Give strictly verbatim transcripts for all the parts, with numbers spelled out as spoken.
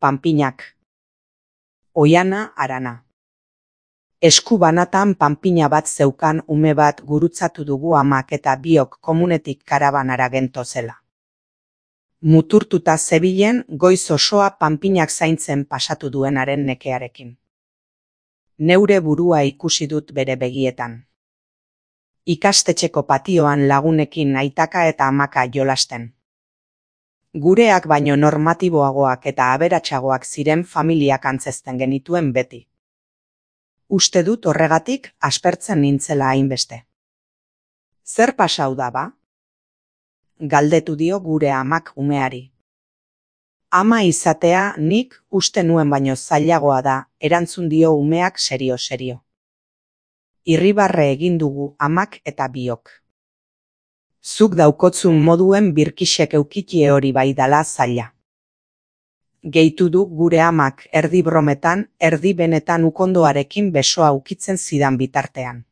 Panpinak. Oiana Arana. Esku banatan panpina bat zeukan ume bat gurutzatu dugu amak eta biok komunetik karabanara gentozela. Muturtuta zebilen goiz osoa panpinak zaintzen pasatu duenaren nekearekin. Neure burua ikusi dut bere begietan. Ikastetxeko patioan lagunekin aitaka eta amaka jolasten. Gureak baino normatiboagoak eta aberatsagoak ziren familiak antzezten genituen beti. Uste dut horregatik aspertzen nintzela hainbeste. Zer pasau da ba? Galdetu dio gure amak umeari. Ama izatea nik uste nuen baino zailagoa da, erantzun dio umeak serio-serio. Irribarre egin dugu amak eta biok. Zuk daukotzun moduen birkixek eukitie hori bai dala zaila. Gehitu du gure amak erdi brometan, erdi benetan ukondoarekin besoa ukitzen zidan bitartean.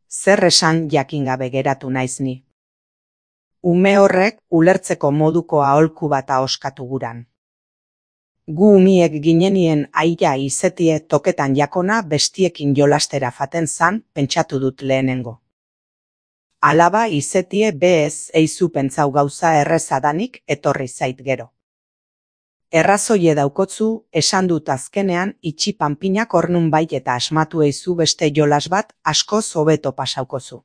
Zer esan jakin gabe geratu naiz ni. Ume horrek ulertzeko moduko aholku bat ahoskatu guran. Gu umiek ginenien aia izetie toketan jakona bestiekin jolastera faten zan, pentsatu dut lehenengo. Alaba izetie bez eizu pentsau gauza errezadanik etorri zait gero. Errazoie daukotzu, esan dut azkenean itxi panpinak ornun bai eta asmatu eizu beste jolas bat askoz hobeto pasaukozu.